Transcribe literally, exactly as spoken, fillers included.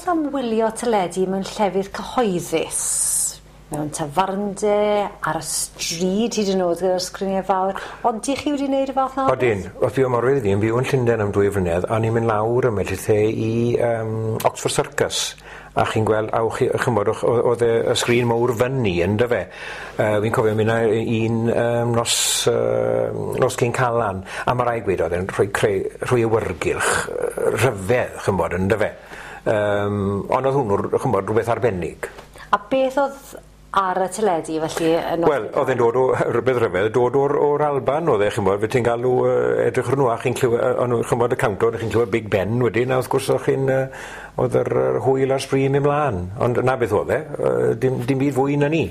am wylio teledu mewn llefydd cyhoeddus? Mewn tafarnde, ar y stryd hyd yn oed gyda'r sgriniau fawr. Ond dych chi wedi wneud y fath 'na o beth? Odyn. Wrth fi o Morfydd fi yn byw yn Llundain am dwy flynedd, a o'n i'n mynd lawr ym Melltith i um, Oxford Circus. A chi'n gweld, a chi, chymod, oedd y, y sgrin mawr fyny, ynddo fe. Uh, fi'n cofio mynd un um, nos, uh, nos cyn Calan, a mae rai gweud oedd e'n rhoi, creu, rhoi awyrgylch rhyfedd, chymod, ynddo fe. Um, ond oedd hwnnw, chymod, rhywbeth arbennig. A beth oedd ar y teledu felly? Yn Wel, oedd e'n dod o, rhywbeth rhyfedd, dod o'r, o'r Alban oedd e, chymod, fe ti'n galw uh, edrych ar nhw a chi'n clywed, uh, chymod, y countdown, chi'n clywed Big Ben wedyn, a wrth gwrs o'ch chi'n, uh, oedd yr, yr hwyl a'r sbri mynd mlaen. Ond na beth oedd e, uh, dim, dim byd fwy na ni.